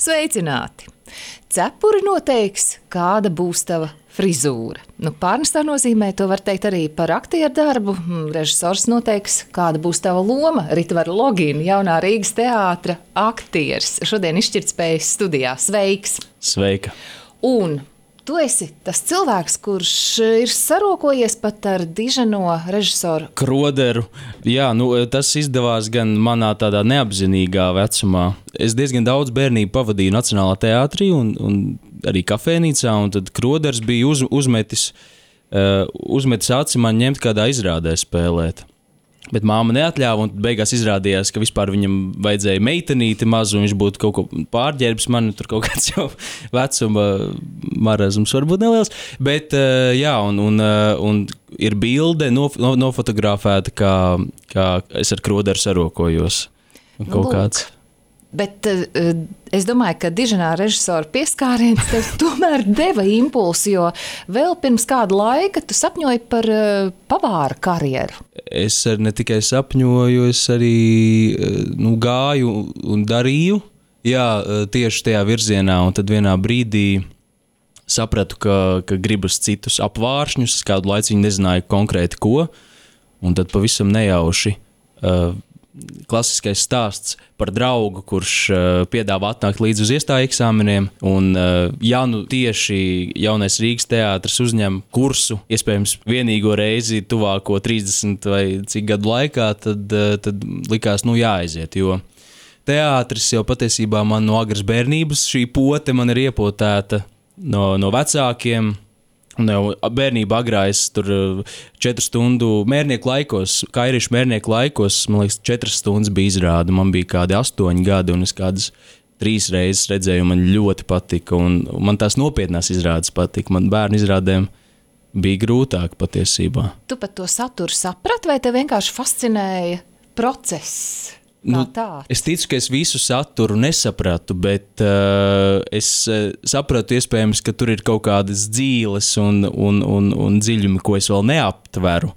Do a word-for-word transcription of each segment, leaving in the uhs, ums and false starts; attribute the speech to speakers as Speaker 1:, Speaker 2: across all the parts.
Speaker 1: Sveicināti! Cepuri noteiks, kāda būs tava frizūra. Nu, pārnestā nozīmē to var teikt arī par aktieru darbu. Režisors noteiks, kāda būs tava loma. Ritvara Logina, jaunā Rīgas teātra aktieris. Šodien izšķirtspējas studijā. Sveiks!
Speaker 2: Sveika!
Speaker 1: Un tu esi tas cilvēks, kurš ir sarokojies pat ar diženo režisoru
Speaker 2: Kroderu. Jā, nu, tas izdevās gan manā tādā neapzinīgā vecumā. Es diezgan daudz bērnību pavadīju Nacionālā teātrī un, un arī kafēnīcā, un tad Kroders bija uz, uzmetis, uh, uzmetis aci man ņemt kādā izrādē spēlēt. Bet māma neatļāva, un beigās izrādījās, ka vispār viņam vajadzēja meitenīti mazu, un viņš būtu kaut ko pārģērbs, man tur kaut kāds jau vecuma marazums varbūt neliels. Bet jā, un, un, un ir bilde nof- nofotografēta, kā, kā es ar Kroderu sarokojos. Kaut
Speaker 1: Lūk.
Speaker 2: kāds.
Speaker 1: Bet uh, es domāju, ka diženā režisora pieskāriens tev tomēr deva impulsu, jo vēl pirms kāda laika tu sapņoji par uh, pavāra karjeru.
Speaker 2: Es ne tikai sapņoju, es arī nu, gāju un darīju, jā, tieši tajā virzienā, un tad vienā brīdī sapratu, ka, ka gribas citus apvāršņus, es kādu laiciņu nezināju konkrēti ko, un tad pavisam nejauši uh, klasiskais stāsts par draugu, kurš uh, piedāvā atnākt līdz uz iestāju eksāmeniem, un uh, ja nu tieši jaunais Rīgas teātris uzņem kursu, iespējams vienīgo reizi tuvāko trīsdesmit vai cik gadu laikā, tad, uh, tad likās, nu jāaiziet, jo teātris jau patiesībā man no agras bērnības, šī pote man ir iepotēta no, no vecākiem. Un jau bērnībā agrā es tur četru stundu mērnieku laikos, kairīšu mērnieku laikos, man liekas, četras stundas bija izrāda. Man bija kādi astoņi gadi, un es kādas trīs reizes redzēju, man ļoti patika, un man tās nopietnās izrādes patika. Man bērnu izrādēm bija grūtāk patiesībā.
Speaker 1: Tu pat to saturu saprati, vai tev vienkārši fascinēja process?
Speaker 2: Nu, es ticu, ka es visu saturu nesapratu, bet uh, es uh, sapratu iespējams, ka tur ir kaut kādas dzīles un, un, un, un dziļumi, ko es vēl neaptveru.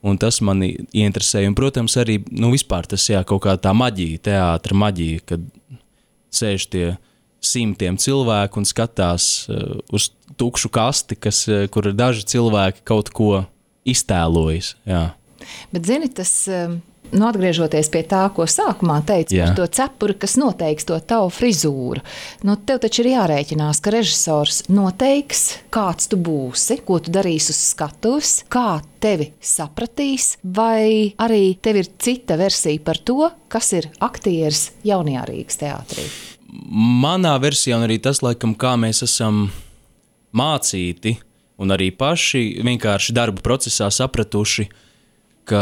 Speaker 2: Un tas mani ieinteresēja. Un, protams, arī nu, vispār tas jā, kaut kā tā maģija, teātra maģija, kad sēž tie simtiem cilvēku un skatās uh, uz tukšu kasti, kas, uh, kur daži cilvēki kaut ko iztēlojas. Jā.
Speaker 1: Bet zini, tas... Um... Nu, atgriežoties pie tā, ko sākumā teici
Speaker 2: Jā.
Speaker 1: par to cepuri, kas noteiks to tavu frizūru. Nu, tev taču ir jārēķinās, ka režisors noteiks, kāds tu būsi, ko tu darīsi uz skatuves, kā tevi sapratīs, vai arī tev ir cita versija par to, kas ir aktieris jaunajā Rīgas teātrī.
Speaker 2: Manā versijā un arī tas, laikam, kā mēs esam mācīti un arī paši vienkārši darbu procesā sapratuši, ka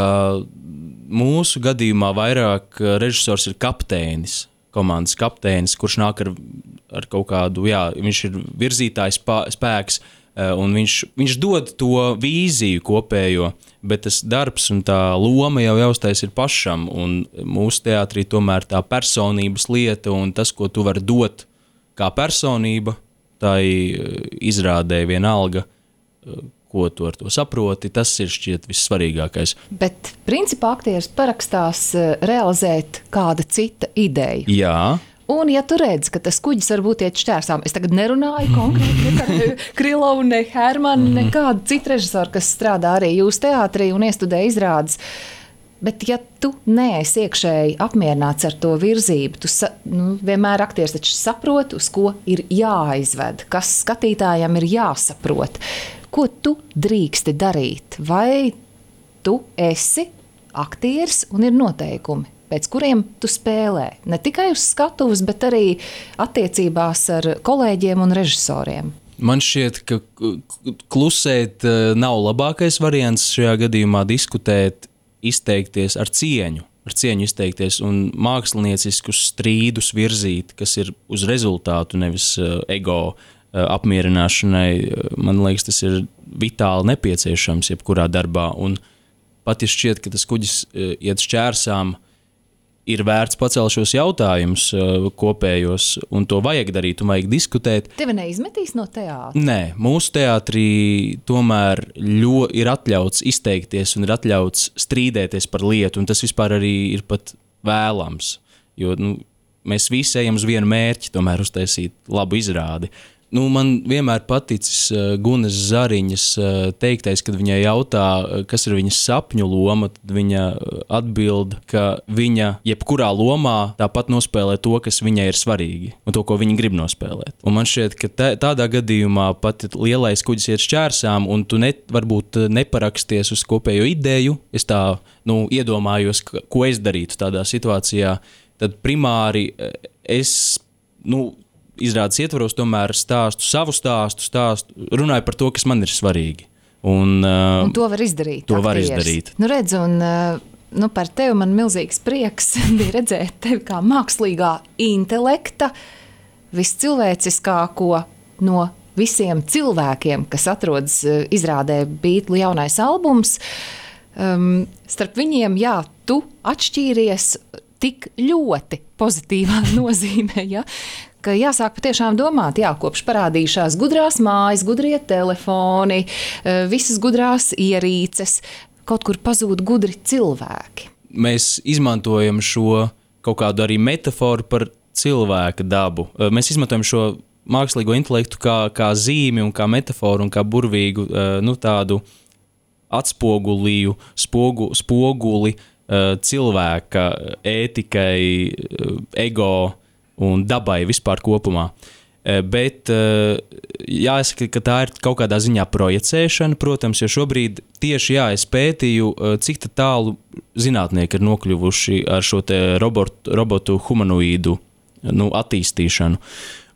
Speaker 2: mūsu gadījumā vairāk režisors ir kapteinis, komandas kapteinis, kurš nāk ar, ar kaut kādu, jā, viņš ir virzītājs spēks, un viņš, viņš dod to vīziju kopējo, bet tas darbs un tā loma jau jāuztais ir pašam, un mūsu teātrī tomēr tā personības lieta un tas, ko tu vari dot kā personība, tai izrādē vienalga, ko tu ar to saproti, tas ir šķiet vissvarīgākais.
Speaker 1: Bet principā aktieris parakstās realizēt kāda cita ideja.
Speaker 2: Jā.
Speaker 1: Un ja tu redzi, ka tas kuģis varbūt iet šķērsām, es tagad nerunāju konkrēti ne par Krilovu, ne Hermanu, mm-hmm. nekādu citu režisoru, kas strādā arī jūsu teātrī un iestudē izrādes. Bet ja tu neesi iekšēji apmierināts ar to virzību, tu sa, nu, vienmēr aktieris taču saprot, uz ko ir jāaizved, kas skatītājam ir jāsaprot. Ko tu drīksti darīt? Vai tu esi aktieris un ir noteikumi, pēc kuriem tu spēlē? Ne tikai uz skatuves, bet arī attiecībās ar kolēģiem un režisoriem.
Speaker 2: Man šķiet, ka klusēt nav labākais variants šajā gadījumā diskutēt, izteikties ar cieņu, ar cieņu izteikties un mākslinieciskus strīdus virzīt, kas ir uz rezultātu, nevis ego apmierināšanai. Man liekas, tas ir vitāli nepieciešams jebkurā darbā, un pat ja šķiet, ka tas kuģis iet šķērsām, ir vērts pacelt šos jautājumus kopējos, un to vajag darīt, un vajag diskutēt.
Speaker 1: Tevi neizmetīs no teātra?
Speaker 2: Nē, mūsu teātrī tomēr ļo, ir atļauts izteikties un ir atļauts strīdēties par lietu, un tas vispār arī ir pat vēlams, jo, nu, mēs visi ejam uz vienu mērķi, tomēr uztaisīt labu izrādi. Nu, man vienmēr paticis uh, Gunas Zariņas uh, teiktais, kad viņai jautā, uh, kas ir viņas sapņu loma, tad viņa atbild, ka viņa jebkurā lomā tāpat nospēlē to, kas viņai ir svarīgi, un to, ko viņa grib nospēlēt. Un man šķiet, ka tā, tādā gadījumā pat lielais kuģis iet šķērsām, un tu ne, varbūt neparaksties uz kopējo ideju, es tā, nu, iedomājos, ka, ko es darītu tādā situācijā, tad primāri es, nu, izrādes ietvaros tomēr stāstu savu stāstu, stāstu, runāju par to, kas man ir svarīgi. Un, uh,
Speaker 1: un to var izdarīt.
Speaker 2: To var
Speaker 1: aktieris.
Speaker 2: izdarīt.
Speaker 1: Nu redz, un uh, nu, par tevi man milzīgs prieks bija redzēt tevi kā mākslīgā intelekta, viscilvēciskāko no visiem cilvēkiem, kas atrodas uh, izrādē Beatles jaunais albums. Um, starp viņiem, jā, tu atšķīries tik ļoti pozitīvā nozīmē, ja? Ka jāsāk patiešām domāt, jā, kopš parādījušās gudrās mājas, gudrie telefoni, visas gudrās ierīces, kaut kur pazūd gudri cilvēki.
Speaker 2: Mēs izmantojam šo kaut kādu arī metaforu par cilvēka dabu. Mēs izmantojam šo mākslīgo intelektu kā, kā zīmi un kā metaforu un kā burvīgu, nu, tādu atspogulīju, spogu, spoguli cilvēka ētikai, ego un dabai vispār kopumā. Bet jāsaka, ka tā ir kaut kādā ziņā projicēšana, protams, jo šobrīd tieši jā, es pētīju, cik tālu zinātnieki ir nokļuvuši ar šo te robotu, robotu humanoīdu, nu, attīstīšanu.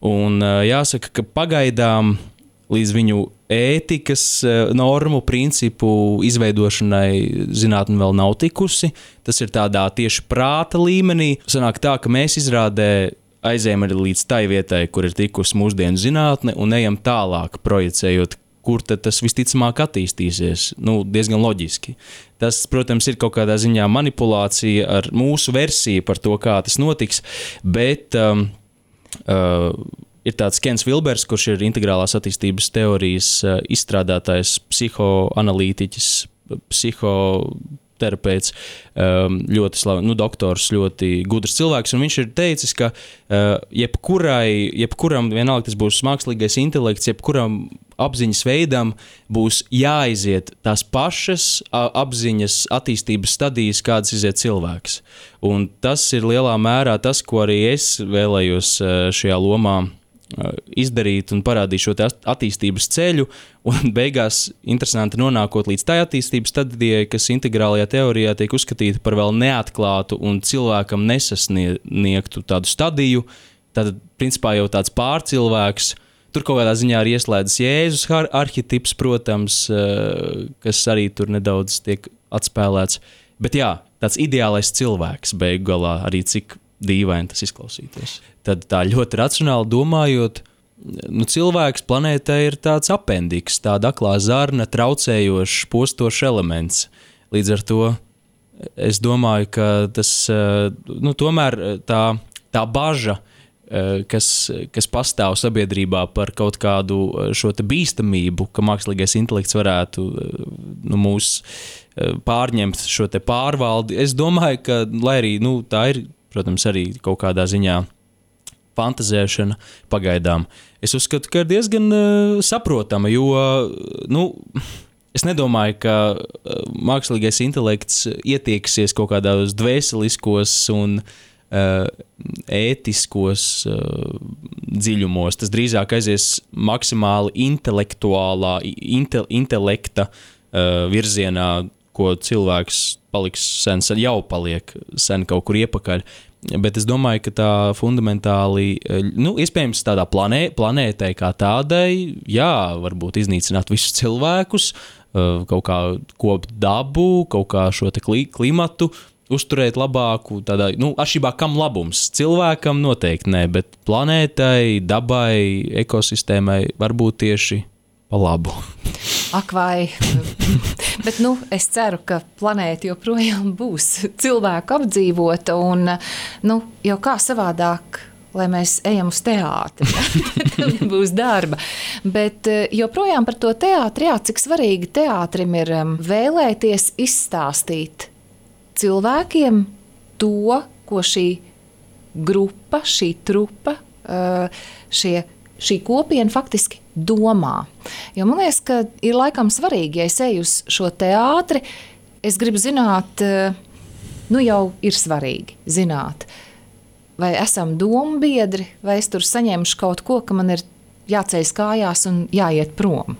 Speaker 2: Un jāsaka, ka pagaidām līdz viņu ētikas normu, principu izveidošanai zinātne vēl nav tikusi. Tas ir tādā tieši prāta līmenī. Sanāk tā, ka mēs izrādē aizējam arī līdz tai vietai, kur ir tikusi mūsdienu zinātne, un ejam tālāk projicējot, kur tad tas visticamāk attīstīsies. Nu, diezgan loģiski. Tas, protams, ir kaut kādā ziņā manipulācija ar mūsu versiju par to, kā tas notiks, bet um, uh, ir tāds Kens Vilbers, kurš ir integrālās attīstības teorijas uh, izstrādātājs, psihoanalītiķis, psihoterapeits, um, ļoti slav, nu, doktors, ļoti gudrs cilvēks, un viņš ir teicis, ka uh, jebkurai, jebkuram, vienalga tas būs mākslīgais intelekts, jebkuram apziņas veidam būs jāiziet tās pašas apziņas attīstības stadijas, kādas iziet cilvēks. Un tas ir lielā mērā tas, ko arī es vēlējos šajā lomā izdarīt un parādīt šo attīstības ceļu, un beigās interesanti nonākot līdz tai attīstības stadijai, kas integrālajā teorijā tiek uzskatīta par vēl neatklātu un cilvēkam nesasniegtu tādu stadiju, tad principā jau tāds pārcilvēks. Tur kaut kādā ziņā ir ieslēdzis Jēzus arhetips, protams, kas arī tur nedaudz tiek atspēlēts. Bet jā, tāds ideālais cilvēks beigu galā, arī cik dīvaini tas izklausītos. Tad tā ļoti racionāli domājot, nu, cilvēks planētā ir tāds apendiks, tāda aklā zarna, traucējošs, postošs elements. Līdz ar to es domāju, ka tas, nu, tomēr tā, tā baža, Kas, kas pastāv sabiedrībā par kaut kādu šo te bīstamību, ka mākslīgais intelekts varētu, nu, mūs pārņemt šo te pārvaldi. Es domāju, ka, lai arī, nu, tā ir, protams, arī kaut kādā ziņā fantazēšana pagaidām. Es uzskatu, ka ir diezgan uh, saprotama, jo, nu, es nedomāju, ka mākslīgais intelekts ietieksies kaut kādos dvēseliskos un ētiskos uh, dziļumos. Tas drīzāk aizies maksimāli intelektuālā, inte, intelekta uh, virzienā, ko cilvēks paliks sen, jau paliek sen kaut kur iepakaļ. Bet es domāju, ka tā fundamentāli, nu, iespējams tādā planē, planētai kā tādai, jā, varbūt iznīcināt visus cilvēkus, uh, kaut kā kopt dabu, kaut kā šo te kli, klimatu, uzturēt labāku, tādā, nu, atšķirībā kam labums? Cilvēkam noteikti ne, bet planētai, dabai, ekosistēmai varbūt tieši pa labu.
Speaker 1: Ak vai, bet, nu, es ceru, ka planēta joprojām būs cilvēku apdzīvota un, nu, jau kā savādāk, lai mēs ejam uz teātri, tad būs darba. Bet joprojām par to teātri, jā, cik svarīgi teātrim ir vēlēties izstāstīt cilvēkiem to, ko šī grupa, šī trupa, šie, šī kopiena faktiski domā. Jo man liekas, ka ir laikam svarīgi, ja es eju uz šo teātri, es gribu zināt, nu jau ir svarīgi zināt, vai esam domu biedri, vai es tur saņemšu kaut ko, ka man ir jāceļas kājās un jāiet prom.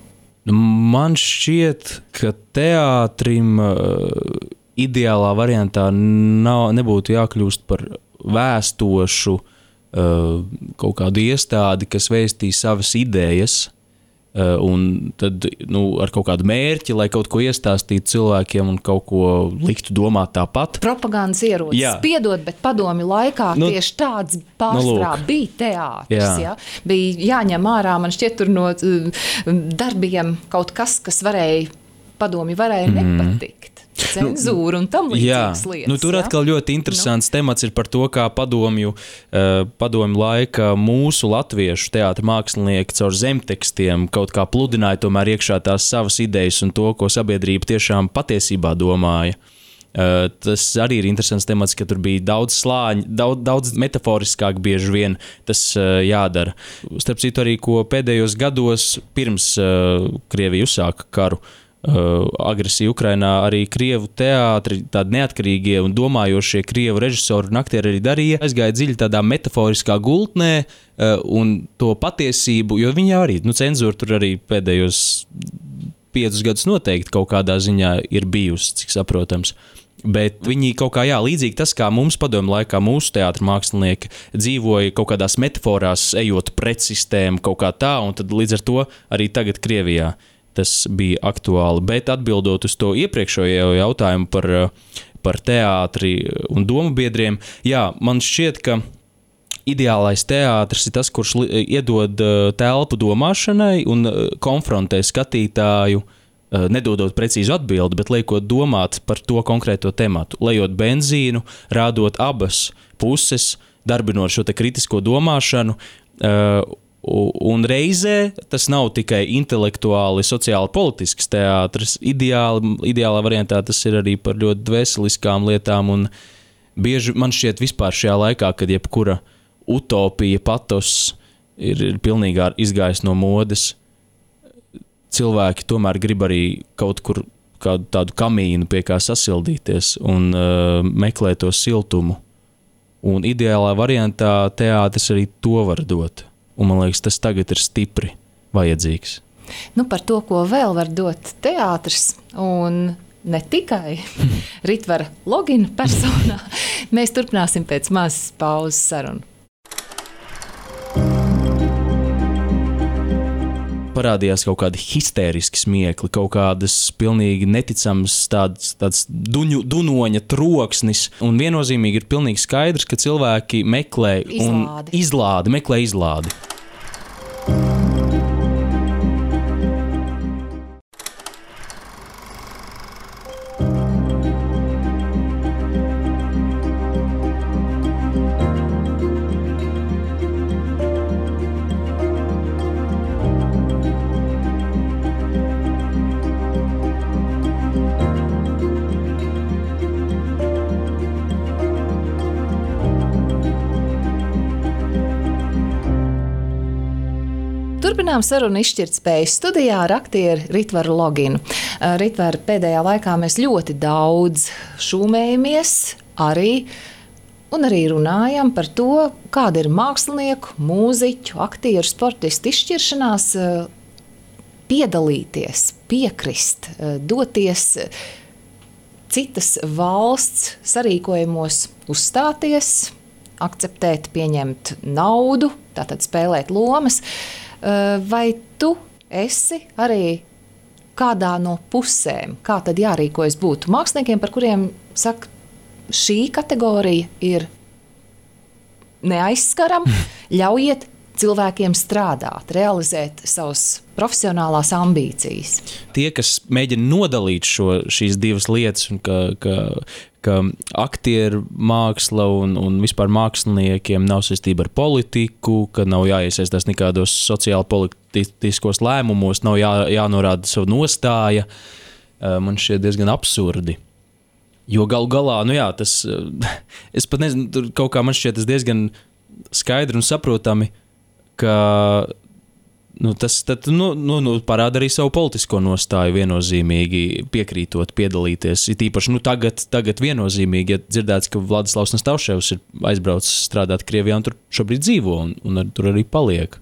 Speaker 2: Man šķiet, ka teātrim uh, ideālā variantā nav, nebūtu jākļūst par vēstošu uh, kaut kādu iestādi, kas vēstī savas idejas, uh, un tad nu, ar kaut kādu mērķi, lai kaut ko iestāstītu cilvēkiem un kaut ko liktu domāt tāpat.
Speaker 1: Propagandas ierocis, piedod, bet padomju laikā nu, tieši tāds pārstrā nu, bija teātris. Jā. Ja? Bija jāņem ārā, man šķiet, tur no darbiem kaut kas, kas varēja, padomju varēja mm-hmm. nepatikt. Cenzūra un tam līdzīgas lietas.
Speaker 2: Nu, tur ja? Atkal ļoti interesants nu. temats ir par to, kā padomju, uh, padomju laika mūsu latviešu teātra mākslinieki caur zemtekstiem kaut kā pludināja tomēr iekšā tās savas idejas un to, ko sabiedrība tiešām patiesībā domāja. Uh, tas arī ir interesants temats, ka tur bija daudz slāņu, daudz, daudz metaforiskāk bieži vien tas uh, jādara. Starp citu arī, ko pēdējos gados pirms uh, Krievija uzsāka karu, Uh, agresija Ukrainā, arī krievu teātri, tādi neatkarīgie un domājošie krievu režisori un aktieri arī darīja, aizgāja dziļi tādā metaforiskā gultnē uh, un to patiesību, jo viņi arī, nu cenzūra tur arī pēdējos piecus gadus noteikti kaut kādā ziņā ir bijusi, cik saprotams. Bet viņi kaut kā, jā, līdzīgi tas, kā mums padomju laikā mūsu teātra mākslinieki dzīvoja kaut kādās metaforās, ejot pret sistēmu kaut kā tā, un tad līdz ar to arī tagad Krievijā tas bija aktuāli, bet atbildot uz to iepriekšējo jautājumu par, par teātri un domu biedriem, jā, man šķiet, ka ideālais teātris ir tas, kurš iedod telpu domāšanai un konfrontē skatītāju, nedodot precīzu atbildi, bet liekot domāt par to konkrēto tematu, lejot benzīnu, rādot abas puses, darbinot šo te kritisko domāšanu, un reizē tas nav tikai intelektuāli, sociāli politisks teātris. Ideāli, ideālā variantā tas ir arī par ļoti dvēseliskām lietām, un bieži man šķiet vispār šajā laikā, kad jebkura utopija, patos ir, ir pilnīgi izgājis no modes, cilvēki tomēr grib arī kaut kur kādu tādu kamīnu pie kā sasildīties un uh, meklēt to siltumu. Un ideālā variantā teātris arī to var dot. Un man liekas, tas tagad ir stipri vajadzīgs.
Speaker 1: Nu, par to, ko vēl var dot teātris, un ne tikai Ritvara Logina personā, mēs turpināsim pēc mazas pauzes sarunu.
Speaker 2: Parādījās kaut kādi histēriski smiekli, kaut kādas pilnīgi neticamas tāds, tāds duņu, dunoņa troksnis, un viennozīmīgi ir pilnīgi skaidrs, ka cilvēki meklē un izlādi, izlādi meklē izlādi.
Speaker 1: Turpinām sarunu izšķirtspējas studijā ar aktieru Ritvaru Loginu. Ritvaru, pēdējā laikā mēs ļoti daudz šūmējamies arī un arī runājam par to, kāda ir mākslinieku, mūziķu, aktieru, sportistu izšķiršanās piedalīties, piekrist, doties citas valsts sarīkojumos uzstāties, akceptēt, pieņemt naudu, tātad spēlēt lomas. Vai tu esi arī kādā no pusēm, kā tad jārīkojas būtu māksliniekiem, par kuriem saka, šī kategorija ir neaizskarama, ļaujiet cilvēkiem strādāt, realizēt savas profesionālās ambīcijas.
Speaker 2: Tie, kas mēģina nodalīt šo, šīs divas lietas, un ka, ka, ka aktieru māksla un, un vispār māksliniekiem nav saistība ar politiku, ka nav jāiesaistās nekādos sociāli politiskos lēmumos, nav jā, jānorāda savu nostāja, man šķiet diezgan absurdi. Jo galu galā, nu jā, tas, es pat nezinu, tur kaut kā man šķiet tas diezgan skaidri un saprotami, ka nu, tas tad, nu, nu, nu, parāda arī savu politisko nostāju viennozīmīgi piekrītot, piedalīties. It īpaši nu, tagad, tagad viennozīmīgi, ja dzirdēts, ka Vladislavs Nastavševs ir aizbraucis strādāt Krievijā un tur šobrīd dzīvo un, un ar, tur arī paliek.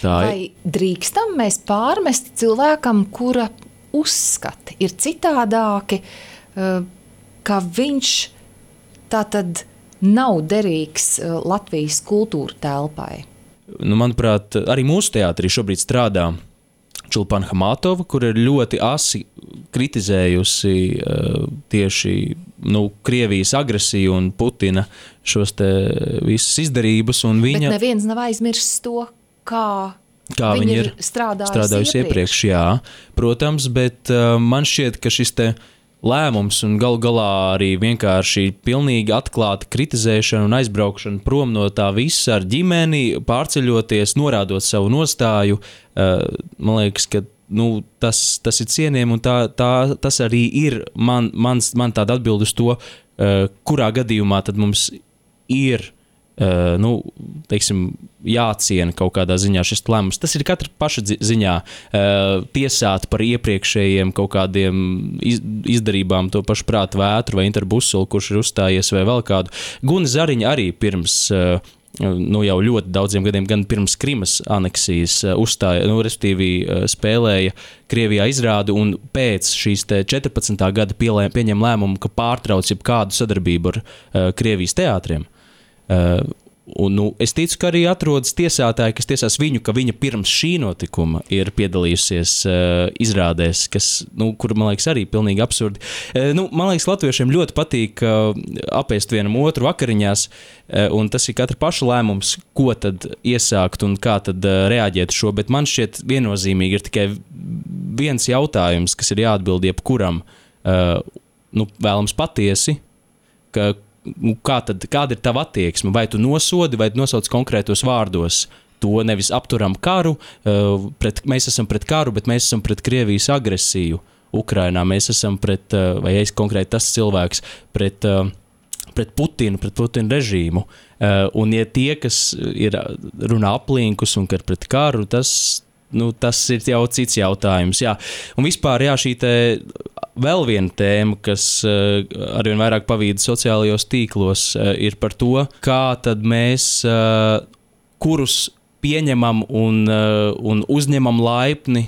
Speaker 2: Tā
Speaker 1: Vai ir. Drīkstam mēs pārmest cilvēkam, kura uzskati ir citādāki, ka viņš tātad nav derīgs Latvijas kultūra telpai?
Speaker 2: Nu, manuprāt, arī mūsu teātrī šobrīd strādā Čulpana Hamatova, kur ir ļoti asi kritizējusi uh, tieši nu, Krievijas agresiju un Putina šos te visas izdarības. Un viņa,
Speaker 1: Bet neviens nav aizmirsis to, kā,
Speaker 2: kā viņa ir
Speaker 1: strādājusi,
Speaker 2: strādājusi iepriekš. iepriekš. Jā, protams, bet uh, man šķiet, ka šis te lēmums un galu galā arī vienkārši pilnīgi atklāta kritizēšana un aizbraukšana prom no tā visa ar ģimeni, pārceļoties, norādot savu nostāju. Man liekas, ka nu, tas, tas ir cienījami un tā, tā, tas arī ir man, mans, man tāda atbilde uz to, kurā gadījumā tad mums ir Uh, nu, teiksim, jāciena kaut kādā ziņā šis lēmums. Tas ir katra paša ziņā uh, tiesāt par iepriekšējiem kaut kādiem iz, izdarībām to pašu prātu vētru vai interbusulu, kurš ir uzstājies vai vēl kādu. Guna Zariņa arī pirms, uh, nu jau ļoti daudziem gadiem, gan pirms Krimas aneksijas uh, uzstāja, nu, respektīvi uh, spēlēja Krievijā izrādu un pēc šīs te četrpadsmitā gada pielē, pieņem lēmumu, ka pārtrauc jebkādu sadarbību ar uh, Krievijas teātriem. Uh, un, nu, es ticu, ka arī atrodas tiesātāji, kas tiesās viņu, ka viņa pirms šī notikuma ir piedalījusies uh, izrādēs, kas, nu, kur, man liekas, arī pilnīgi absurdi. Uh, nu, man liekas, latviešiem ļoti patīk uh, apēst vienam otru vakariņās, uh, un tas ir katra paša lēmums, ko tad iesākt un kā tad uh, reaģēt šo, bet man šķiet viennozīmīgi ir tikai viens jautājums, kas ir jāatbild jebkuram, uh, nu, vēlams patiesi, ka Kā tad, kāda ir tava attieksme? Vai tu nosodi, vai tu nosauc konkrētos vārdos? To nevis apturam karu, pret, mēs esam pret karu, bet mēs esam pret Krievijas agresiju Ukrainā. Mēs esam pret, vai es konkrēti tas cilvēks, pret, pret Putinu, pret Putina režīmu. Un ja tie, kas ir runā aplinkus un ka pret karu, tas, nu, tas ir jau cits jautājums. Jā. Un vispār, jā, šī te vēl viena tēma, kas uh, arvien vairāk pavīda sociālajos tīklos, uh, ir par to, kā tad mēs, uh, kurus pieņemam un, uh, un uzņemam laipni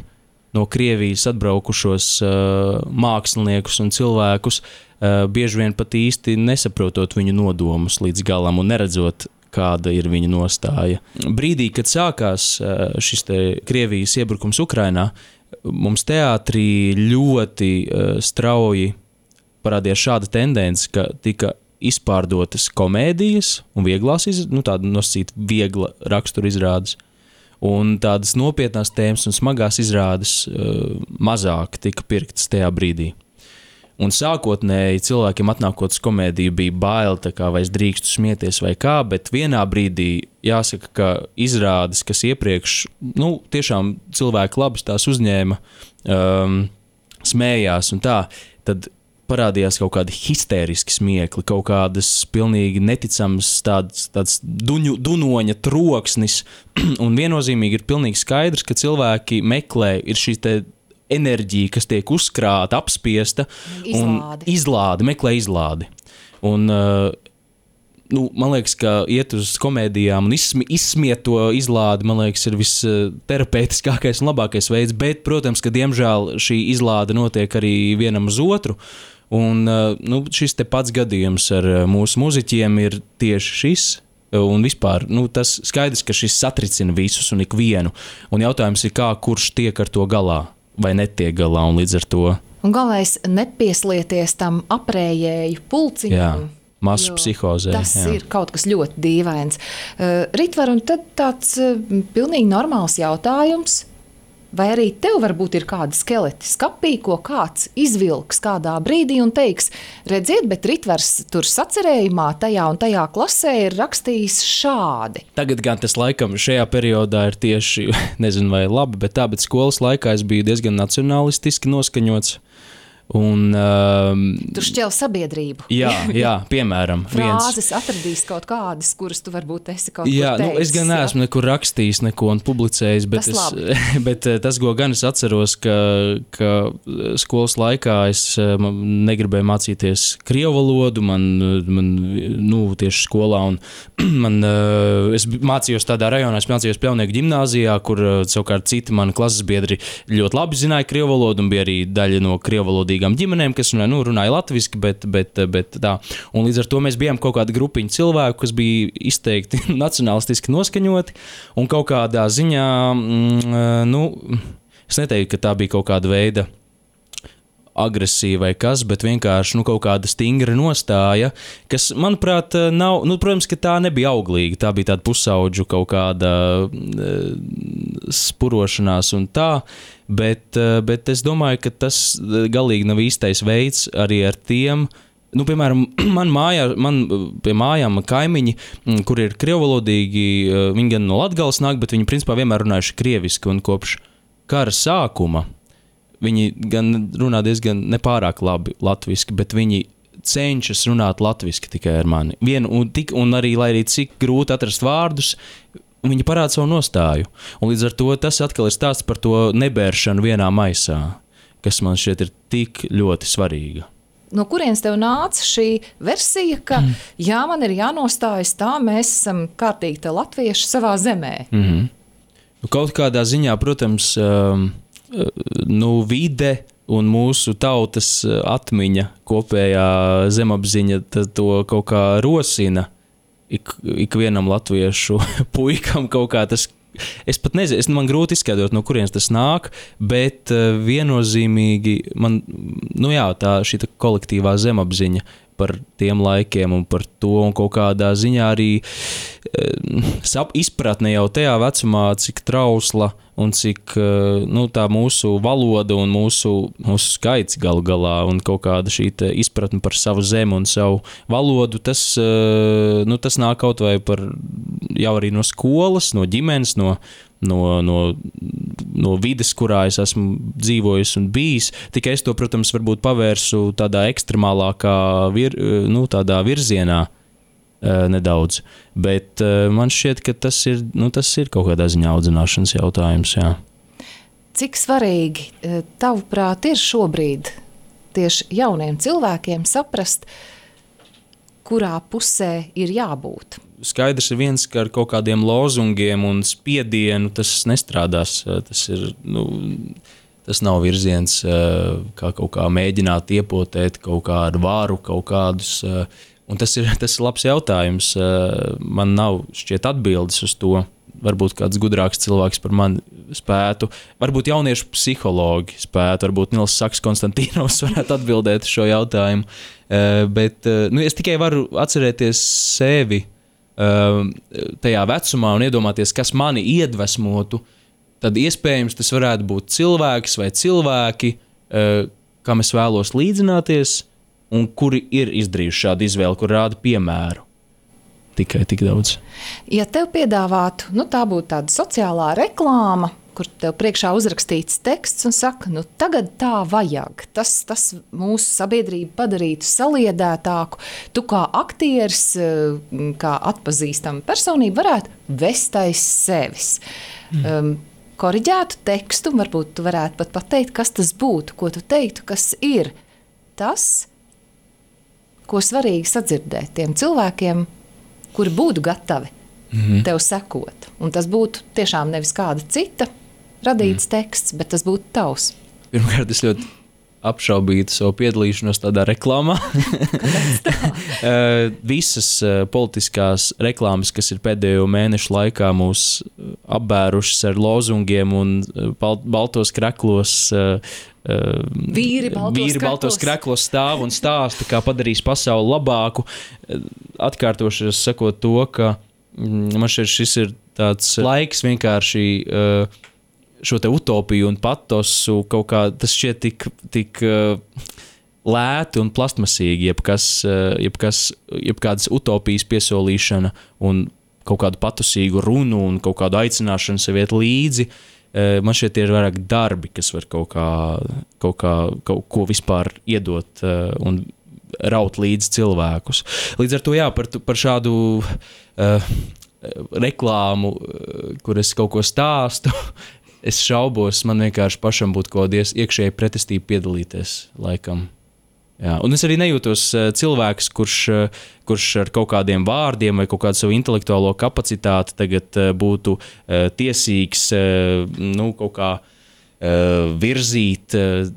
Speaker 2: no Krievijas atbraukušos uh, māksliniekus un cilvēkus, uh, bieži vien pat īsti nesaprotot viņu nodomus līdz galam un neredzot, kāda ir viņa nostāja. Brīdī, kad sākās uh, šis te Krievijas iebrukums Ukrainā, mums teātrī ļoti uh, strauji parādījās šāda tendence, ka tika izpārdotas komēdijas un vieglās, iz, nu tāda nosacīta viegla rakstura izrādes, un tādas nopietnās tēmas un smagās izrādes uh, mazāk tika pirktas tajā brīdī. Un sākotnēji cilvēkiem atnākot uz komēdiju bija bail, tā kā vai es drīkstu smieties vai kā, bet vienā brīdī jāsaka, ka izrādes, kas iepriekš, nu, tiešām cilvēki labas tās uzņēma, um, smējās un tā, tad parādījās kaut kādi histēriski smiekli, kaut kādas pilnīgi neticamas tāds, tāds duņu, dunoņa troksnis, un viennozīmīgi ir pilnīgi skaidrs, ka cilvēki meklē, ir šī te enerģija, kas tiek uzkrāta, apspiesta
Speaker 1: izlādi.
Speaker 2: un izlādi, meklē izlādi. Un, uh, nu, man liekas, ka iet uz komēdijām un izsmi, izsmiet to izlādi, man liekas, ir visterapeitiskākais un labākais veids, bet, protams, ka diemžēl šī izlāde notiek arī vienam uz otru, un uh, nu, šis te pats gadījums ar mūsu muziķiem ir tieši šis, un vispār, nu, tas skaidrs, ka šis satricina visus un ikvienu, un jautājums ir kā, kurš tiek ar to galā. Vai netiek galā, un līdz ar to.
Speaker 1: Un galvenais nepieslieties tam aprējēju pulciņam.
Speaker 2: Jā, masu psihozē.
Speaker 1: Tas
Speaker 2: jā.
Speaker 1: ir kaut kas ļoti dīvains. Uh, Ritvar, un tad tāds uh, pilnīgi normāls jautājums. Vai arī tev varbūt ir kāda skeleti skapī, ko kāds izvilks kādā brīdī un teiks, redziet, bet Ritvars tur sacerējumā tajā un tajā klasē ir rakstījis šādi.
Speaker 2: Tagad gan tas laikam šajā periodā ir tieši, nezinu vai labi, bet tā, bet skolas laikā es biju diezgan nacionalistiski noskaņots. Un, um,
Speaker 1: tu šķel sabiedrību.
Speaker 2: Jā, jā, piemēram.
Speaker 1: Frāzes atradīs kaut kādas, kuras tu varbūt esi kaut
Speaker 2: jā,
Speaker 1: kur teicis.
Speaker 2: Nu, es gan neesmu jā. nekur rakstījis, neko un publicējis, bet tas, es, bet tas, ko gan es atceros, ka, ka skolas laikā es negribēju mācīties krievu valodu, man, man nu, tieši skolā, un man, es mācījos tādā rajonā, es mācījos Pļaunieku ģimnāzijā, kur savukārt citi mani klases biedri ļoti labi zināja krievu valodu, un bija arī daļa no krievu valodīgām ģimenēm, kas nu, runāja latviski, bet, bet, bet tā. Un līdz ar to mēs bijām kaut kāda grupiņa cilvēku, kas bija izteikti nacionalistiski noskaņoti, un kaut kādā ziņā, mm, nu, es neteiktu, ka tā bija kaut kāda veida agresija vai kas, bet vienkārši nu, kaut kāda stingra nostāja, kas, manuprāt, nav, nu, protams, ka tā nebija auglīga, tā bija tāda pusaudžu kaut kāda uh, spurošanās un tā, bet, uh, bet es domāju, ka tas galīgi nav īstais veids arī ar tiem, nu, piemēram, man mājā, man pie mājām kaimiņi, kur ir krievvalodīgi, viņi gan no Latgales nāk, bet viņi principā vienmēr runājuši krieviski, un kopš kara sākuma viņi gan runā diezgan nepārāk labi latviski, bet viņi cenšas runāt latviski tikai ar mani. Vien, un, tik, un arī, lai arī cik grūti atrast vārdus, viņi parāda savu nostāju. Un līdz ar to tas atkal ir stāsts par to nebēršanu vienā maisā, kas man šķiet ir tik ļoti svarīga.
Speaker 1: No kurienes tev nāca šī versija, ka mm. jā, man ir jānostājas tā, mēs esam kārtīgi te latvieši savā zemē?
Speaker 2: Mm-hmm. Kaut kādā ziņā, protams, um, nu, vide un mūsu tautas atmiņa, kopējā zemapziņa to kaut kā rosina ik, ikvienam latviešu puikam kaut kā tas. Es pat nezinu, es, man grūti izskaidrot, no kurienes tas nāk, bet viennozīmīgi man, nu jā, tā šī kolektīvā zemapziņa par tiem laikiem un par to, un kaut kādā ziņā arī sap, izpratne jau tajā vecumā, cik trausla un cik nu, tā mūsu valoda un mūsu, mūsu skaits galu galā un kaut kāda šī izpratne par savu zemi un savu valodu, tas, nu, tas nāk kaut vai par jau arī no skolas, no ģimenes, no No, no, no vides, kurā es esmu dzīvojis un bijis. Tikai es to, protams, varbūt pavērsu tādā ekstremālākā vir, nu, tādā virzienā e, nedaudz. Bet e, man šķiet, ka tas ir, nu, tas ir kaut kādā ziņā audzināšanas jautājums. Jā.
Speaker 1: Cik svarīgi, tavuprāt, ir šobrīd tieši jauniem cilvēkiem saprast, kurā pusē ir jābūt?
Speaker 2: Skaidrs ir viens, ka ar kaut kādiem lozungiem un spiedienu tas nestrādās. Tas ir, nu, tas nav virziens, kā kaut kā mēģināt iepotēt kaut kādu vāru, kaut kādus. Un tas ir, tas ir labs jautājums. Man nav šķiet atbildes uz to. Varbūt kāds gudrāks cilvēks par mani spētu. Varbūt jauniešu psihologi spētu. Varbūt Nils Saks Konstantīnovs varētu atbildēt šo jautājumu. Bet nu, es tikai varu atcerēties sevi tajā vecumā un iedomāties, kas mani iedvesmotu, tad iespējams tas varētu būt cilvēks vai cilvēki, kam es vēlos līdzināties un kuri ir izdarījuši šādu izvēli, kur rāda piemēru. Tikai tik daudz.
Speaker 1: Ja tev piedāvātu, nu tā būtu tāda sociālā reklāma, kur tev priekšā uzrakstīts teksts un saka, nu tagad tā vajag. Tas, tas mūsu sabiedrību padarītu saliedētāku. Tu kā aktieris, kā atpazīstama personība varētu vest aiz sevis. Mm. Um, koriģētu tekstu, varbūt tu varētu pat pateikt, kas tas būtu, ko tu teiktu, kas ir tas, ko svarīgi sadzirdēt tiem cilvēkiem, kuri būtu gatavi mm-hmm. tev sekot. Un tas būtu tiešām nevis kāda cita radīts mm. teksts, bet tas būtu tavs.
Speaker 2: Pirmkārt, es ļoti apšaubītu savu piedalīšanos tādā reklāmā.
Speaker 1: Kāpēc tā?
Speaker 2: Visas politiskās reklāmas, kas ir pēdējo mēnešu laikā mūs apbērušas ar lozungiem un baltos kreklos,
Speaker 1: Vīri baltos,
Speaker 2: Vīri baltos kreklos stāv un stāsta, kā padarīs pasauli labāku. Atkārtoši sakot to, ka man šeit šis ir tāds laiks vienkārši šo te utopiju un patosu kaut kā, tas šķiet tik, tik lēti un plastmasīgi, jebkas, jebkas, jebkādas utopijas piesolīšana un kaut kādu patosīgu runu un kaut kādu aicināšanu sev iet līdzi. man šeit ir vairāk darbi, kas var kaut kā, kaut kā kaut ko vispār iedot un raut līdz cilvēkus. Līdz ar to, jā, par, par šādu uh, reklāmu, kur es kaut ko stāstu, es šaubos, man vienkārši pašam būtu kaut kāda iekšēja pretestība piedalīties, laikam. Jā, un es arī nejūtos uh, cilvēks, kurš, uh, kurš ar kaut kādiem vārdiem vai kaut kādu savu intelektuālo kapacitāti tagad uh, būtu uh, tiesīgs uh, nu, kaut kā uh, virzīt uh,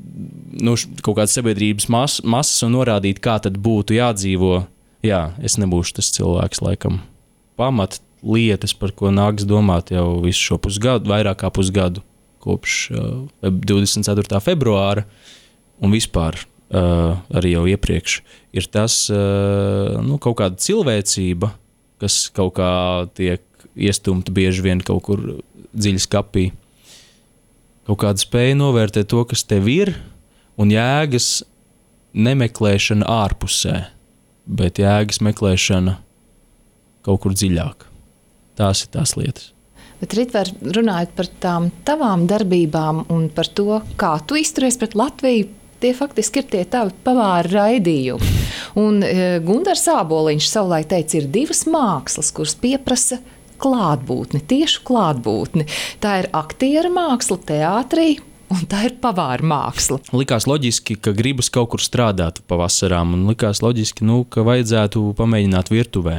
Speaker 2: nu, kaut kādas sabiedrības mas, masas un norādīt, kā tad būtu jādzīvo. Jā, es nebūšu tas cilvēks, laikam. Pamat lietas, par ko nāks domāt jau visu šo pusgadu, vairāk kā pusgadu, kopš uh, divdesmit ceturtā februāra un vispār. Uh, arī jau iepriekš, ir tas uh, nu, kaut kāda cilvēcība, kas kaut kā tiek iestumta bieži vien kaut kur dziļi skapī. Kaut kāda spēja novērtēt to, kas tev ir, un jēgas nemeklēšana ārpusē, bet jēgas meklēšana kaut kur dziļāk. Tās ir tās lietas.
Speaker 1: Bet, Ritver, runājot par tām tavām darbībām un par to, kā tu izturies pret Latviju, tie faktiski ir tie tavi pavāri raidījumi. Un e, Gundars Āboliņš savulaik teica, ir divas mākslas, kuras pieprasa klātbūtni, tiešu klātbūtni. Tā ir aktiera māksla teātrī, un tā ir pavāra māksla.
Speaker 2: Likās loģiski, ka gribas kaut kur strādāt pavasarām, un likās loģiski, nu, ka vajadzētu pamēģināt virtuvē.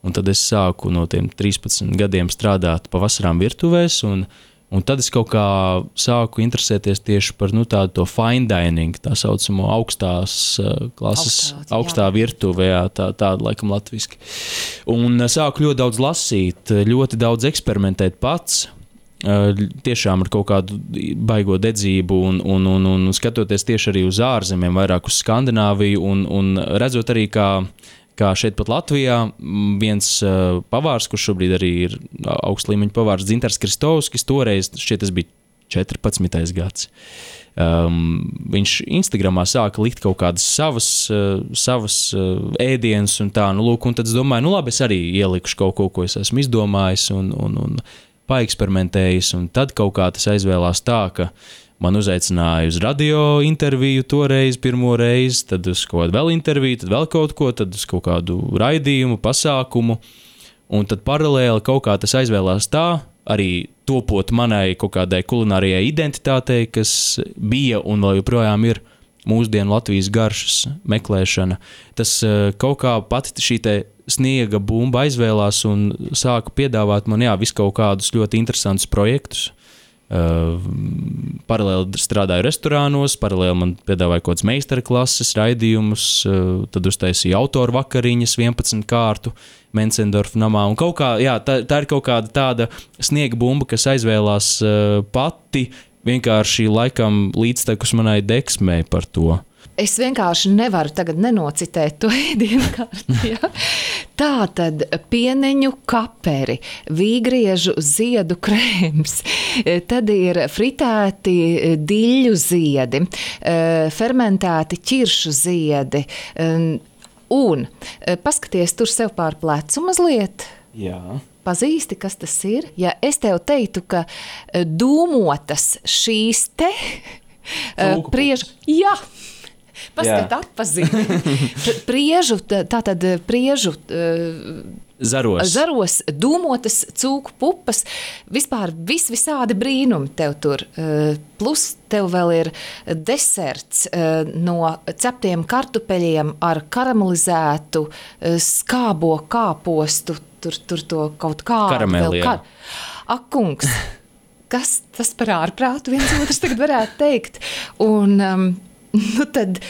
Speaker 2: Un tad es sāku no tiem trīspadsmit gadiem strādāt pavasarām virtuvēs, un Un tad es kaut kā sāku interesēties tieši par nu, tādu to fine dining, tā saucamo augstās uh, klases, Augstā, augstā virtuve, jā, tā, tāda laikam latviski. Un uh, sāku ļoti daudz lasīt, ļoti daudz eksperimentēt pats, uh, tiešām ar kaut kādu baigo dedzību un, un, un, un skatoties tieši arī uz ārzemēm, vairāk uz Skandināviju un, un redzot arī, kā kā šeit pat Latvijā viens uh, pavārs, kurš šobrīd arī ir augsta līmeņa pavārs, Dzintars Kristovskis, toreiz šķiet tas bija četrpadsmitais gads. Um, viņš Instagramā sāka likt kaut kādas savas, uh, savas uh, ēdienas un tā, nu lūk, un tad es domāju, nu labi, es arī ielikušu kaut ko, ko es esmu izdomājis un, un, un paeksperimentējis, un tad kaut kā tas aizvēlās tā, ka man uzaicināja uz radio interviju toreiz, pirmo reizi, tad uz kaut kādu vēl interviju, tad vēl kaut ko, tad uz kaut kādu raidījumu, pasākumu, un tad paralēli kaut kā tas aizvēlās tā, arī topot manai kaut kādai kulinārijai identitātei, kas bija un vēl joprojām ir mūsdienu Latvijas garšas meklēšana. Tas kaut kā pati šī te sniega bumba aizvēlās un sāka piedāvāt man, jā, visu kaut kādus ļoti interesantus projektus. Uh, paralēli strādāju restorānos, paralēli man piedāvāja kaut kāds meistarklases raidījumus, uh, tad uztaisīju autoru vakariņas vienpadsmit kārtu Mencendorfa namā, un kaut kā, jā, tā, tā ir kaut kāda tāda sniega bumba, kas aizvēlās uh, pati, vienkārši laikam līdztekus manai deksmei par to.
Speaker 1: Es vienkārši nevaru tagad nenocitēt to ēdienu karti. Ja? Tā tad pieneņu kaperi, vīgriežu ziedu krēms, tad ir fritēti diļu ziedi, fermentēti ķiršu ziedi. Un paskaties tur sev pār plecu mazliet.
Speaker 2: Jā.
Speaker 1: Pazīsti, kas tas ir? Ja es tev teiktu, ka dūmotas šīs te priežu... Jā! Paskat, atpazīti. Priežu, tātad priežu
Speaker 2: zaros.
Speaker 1: zaros, dūmotas cūku pupas, vispār vis visādi brīnumi tev tur. Plus tev vēl ir deserts no ceptiem kartupeļiem ar karamelizētu skābo kāpostu, tur, tur to kaut kādu.
Speaker 2: Karameli, jā.
Speaker 1: Ak, kungs, kas tas par ārprātu viens otrs tagad varētu teikt? Un... Um, Nu tad,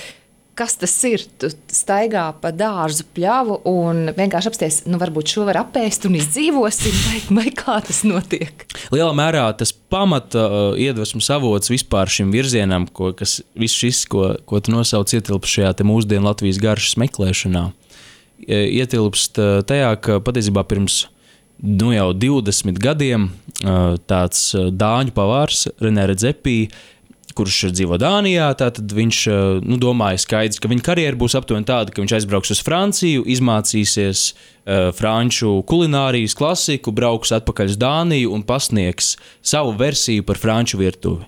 Speaker 1: kas tas ir? Tu staigā pa dārzu pļavu un vienkārši apsties, nu varbūt šo var apēst un izdzīvosim, vai, vai kā tas notiek? Lielā
Speaker 2: mērā tas pamata uh, iedvesmas avots vispār šim virzienam, ko, kas viss šis, ko, ko tu nosauc, ietilpst šajā te mūsdienu Latvijas garšas meklēšanā. Ietilpst uh, tajā, ka patiesībā pirms nu jau divdesmit gadiem uh, tāds uh, dāņu pavārs Renē Redzepī kurš dzīvo Dānijā, tad viņš nu, domāja skaidrs, ka viņa karjera būs aptuveni tāda, ka viņš aizbrauks uz Franciju, izmācīsies uh, franču kulinārijas klasiku, brauks atpakaļ uz Dāniju un pasniegs savu versiju par franču virtuvi.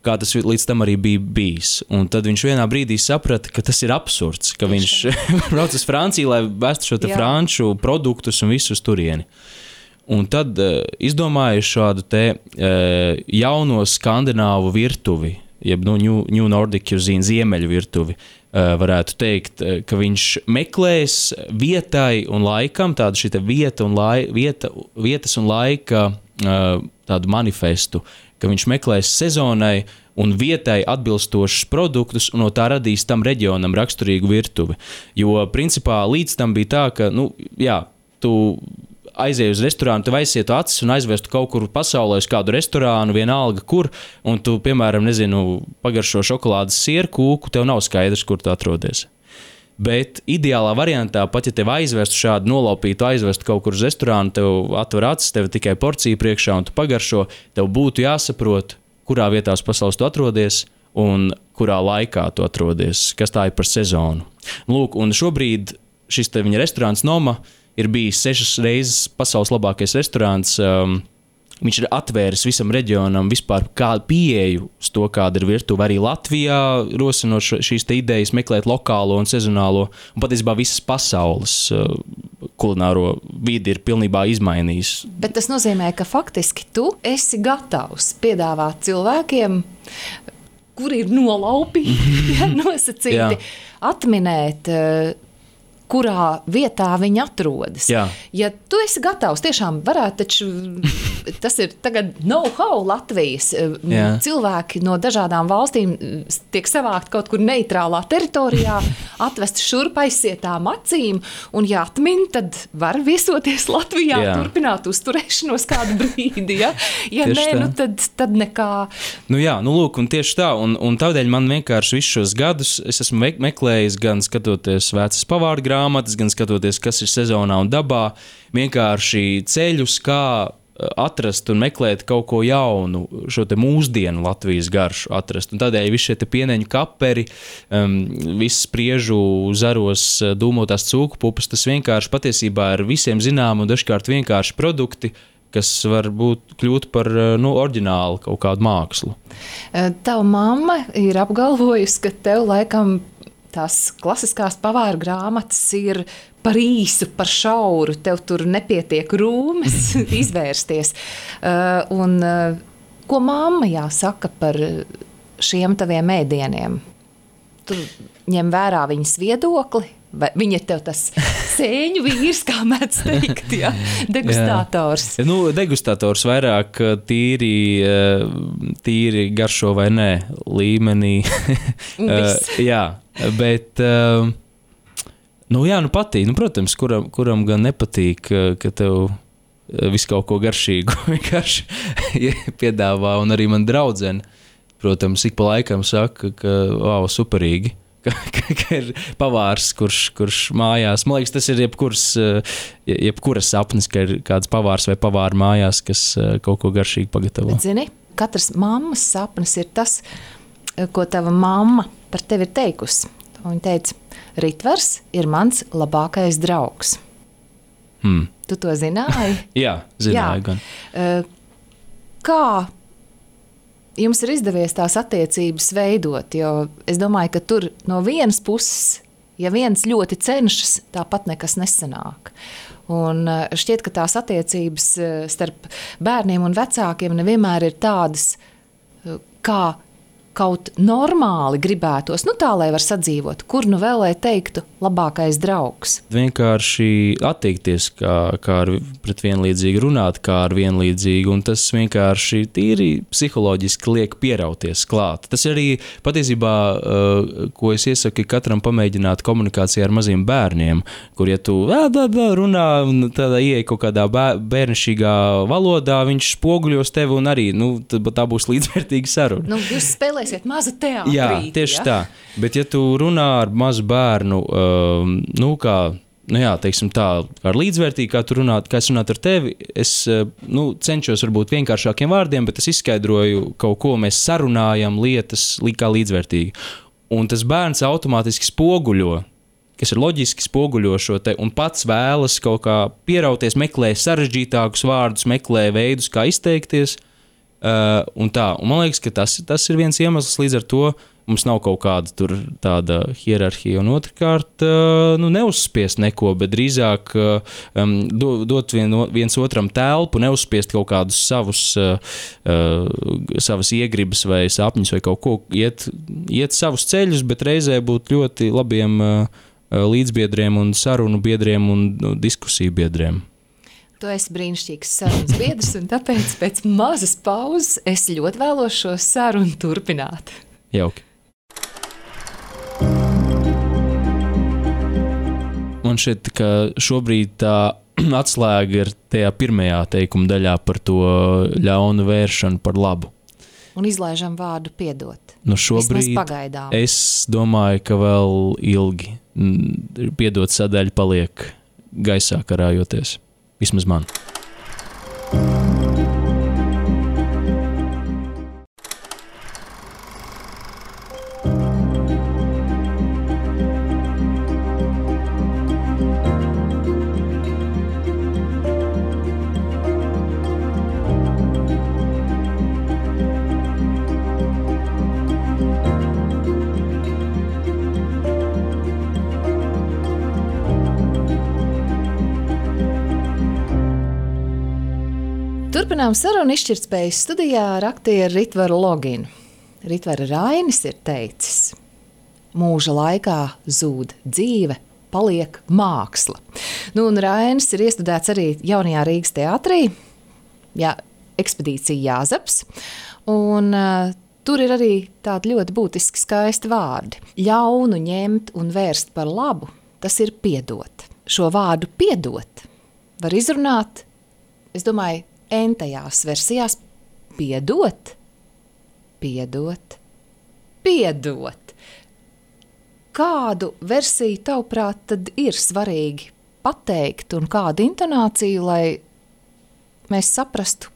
Speaker 2: Kā tas līdz tam arī bija bijis. Un tad viņš vienā brīdī saprata, ka tas ir absurds, ka viņš brauc uz Franciju, lai vestu šo te franču produktus un visus turieni. Un tad uh, izdomāju šādu te uh, jauno skandināvu virtuvi, jeb nu, New, New Nordic Cuisine, ziemeļu virtuvi, uh, varētu teikt, uh, ka viņš meklēs vietai un laikam, tādu šī te vieta un lai, vieta, vietas un laika uh, tādu manifestu, ka viņš meklēs sezonai un vietai atbilstošus produktus un no tā radīs tam reģionam raksturīgu virtuvi. Jo principā līdz tam bija tā, ka, nu, jā, tu aizēji uz restorānu, tev aizsietu acis un aizvestu kaut kur pasaulē uz kādu restorānu, vienalga kur, un tu, piemēram, nezinu, pagaršo šokolādes sieru kūku, tev nav skaidrs, kur tu atrodies. Bet ideālā variantā, pat ja tev aizvestu šādu nolaupītu, aizvestu kaut kur uz restorānu, tev atver acis, tev tikai porcija priekšā un tu pagaršo, tev būtu jāsaprot, kurā vietā uz pasaules tu atrodies un kurā laikā tu atrodies, kas tā ir par sezonu. Lūk, un šobrīd šis te viņa restorāns Noma ir bijis sešas reizes pasaules labākais restorāns. Um, viņš ir atvēris visam reģionam vispār kādu pieeju uz to, kāda ir virtuve arī Latvijā, rosinot šīs te idejas, meklēt lokālo un sezonālo, un patiesībā visas pasaules uh, kulināro vidi ir pilnībā izmainījis.
Speaker 1: Bet tas nozīmē, ka faktiski tu esi gatavs piedāvāt cilvēkiem, kuri ir nolaupīti, ja, nosacīti, atminēt uh, kurā vietā viņi atrodas.
Speaker 2: Jā.
Speaker 1: Ja tu esi gatavs, tiešām varētu, taču tas ir tagad know-how Latvijas. Jā. Cilvēki no dažādām valstīm tiek savākt kaut kur neitrālā teritorijā, atvest šurp aizsietām acīm, un ja atmin, tad var viesoties Latvijā, Jā. Turpināt uzturēšanos kādu brīdi. Ja, ja nē, nu tad, tad nekā.
Speaker 2: Nu jā, nu lūk, un tieši tā, un, un tādēļ man vienkārši visus šos gadus es esmu meklējis gan skatoties vecas pavāru grāmatas, gan skatoties, kas ir sezonā un dabā, vienkārši ceļus, kā atrast un meklēt kaut ko jaunu, šo te mūsdienu Latvijas garšu atrast. Un tādēļ visi šie te pieneņu kaperi, um, viss spriežu zaros dūmotās cūku pupas, tas vienkārši patiesībā ir visiem zinām un dažkārt vienkārši produkti, kas var būt kļūt par nu, oriģinālu kaut kādu mākslu.
Speaker 1: Tava mamma ir apgalvojusi, ka tev laikam tās klasiskās pavāru grāmatas ir par īsu, par šauru, tev tur nepietiek rūmes izvērsties. Uh, un uh, ko mamma jāsaka par šiem taviem ēdieniem? Tu ņem vērā viņas viedokli? Vai viņa ir tev tas sēņu vīrs, kā mēdz teikt, ja? Degustātors?
Speaker 2: Jā. Nu, degustātors vairāk tīri, tīri garšo vai nē līmenī. Jā, bet, nu jā, nu patīk. Nu, protams, kuram, kuram gan nepatīk, ka tev visu kaut ko garšīgu vienkārši piedāvā, un arī man draudzene, protams, ik pa laikam saka, ka, wow, superīgi. Ka, ka, ka ir pavārs, kurš, kurš mājās, man liekas, tas ir jebkurs, jebkuras sapnis, ka ir kāds pavārs vai pavāra mājās, kas kaut ko garšīgi pagatavo.
Speaker 1: Bet, zini, katrs mammas sapnis ir tas, ko tava mamma par tevi ir teikusi. Viņa teica, Ritvars ir mans labākais draugs.
Speaker 2: Hmm.
Speaker 1: Tu to zināji?
Speaker 2: Jā, zināju gan.
Speaker 1: Kā jums ir izdevies tās attiecības veidot, jo es domāju, ka tur no vienas puses, ja viens ļoti cenšas, tāpat nekas nesanāk. Un šķiet, ka tās attiecības starp bērniem un vecākiem nevienmēr ir tādas, kā kaut normāli gribētos, nu tā, lai var sadzīvot, kur nu vēl, lai teiktu, labākais draugs.
Speaker 2: Vienkārši attiekties, kā, kā ar pret vienlīdzīgi runāt, kā ar vienlīdzīgi, un tas vienkārši tīri psiholoģiski liek pierauties klāt. Tas arī patiesībā, ko es iesaku katram pamēģināt komunikācijā ar maziem bērniem, kur ja tu dā, dā, dā, runā un tādā ieej kaut kādā bērnišķīgā valodā, viņš spoguļos tevi un arī, nu, tā būs līdzvērtīga saruna.
Speaker 1: Nu, jūs spēlē mazu teātrī.
Speaker 2: Jā, tieši ja? Tā. Bet ja tu runā ar mazu bērnu, um, nu kā nu jā, teiksim tā, ar līdzvērtīgi, kā tu runāt, kā es runātu ar tevi, es nu, cenšos varbūt vienkāršākiem vārdiem, bet es izskaidroju kaut ko, mēs sarunājam lietas kā līdzvērtīgi. Un tas bērns automātiski spoguļo, kas ir loģiski spoguļo šo te, un pats vēlas kaut kā pierauties, meklē sarežģītākus vārdus, meklē veidus, kā izteikties, uh, un tā. Un man liekas, ka tas, tas ir viens iemesls, līdz ar to mums nav kaut kāda tur tāda hierarhija, un otrkārt, uh, nu, neuzspiest neko, bet drīzāk um, dot vien, viens otram telpu, neuzspiest kaut kādus savus, uh, uh, savas iegribas vai sapņus vai kaut ko, iet, iet savus ceļus, bet reizē būt ļoti labiem uh, līdzbiedriem un sarunu biedriem un nu, diskusiju biedriem.
Speaker 1: Tu esi brīnišķīgs sarunas biedrs, un tāpēc pēc mazas pauzes es ļoti vēlos šo sarunu turpināt.
Speaker 2: Jauki. Man šķiet, ka šobrīd tā atslēga ir tajā pirmajā teikuma daļā par to ļaunu vēršanu par labu.
Speaker 1: Un izlaižam vārdu piedot.
Speaker 2: Nu šobrīd es domāju, ka vēl ilgi piedot sadaļa paliek gaisā karājoties. Vismaz man.
Speaker 1: Turpinām sarunu izšķirtspējas studijā ar aktieru Ritvaru Loginu. Ritvara Rainis ir teicis: mūža laikā zūd dzīve, paliek māksla. Nu, un Rainis ir iestudēts arī jaunajā Rīgas teātrī, jā, ekspedīcija Jāzeps, un uh, tur ir arī tādi ļoti būtiski skaisti vārdi. Ļaunu ņemt un vērst par labu, tas ir piedot. Šo vārdu piedot var izrunāt, es domāju, entajās versijās piedot, piedot, piedot. Kādu versiju tavuprāt tad ir svarīgi pateikt un kādu intonāciju, lai mēs saprastu,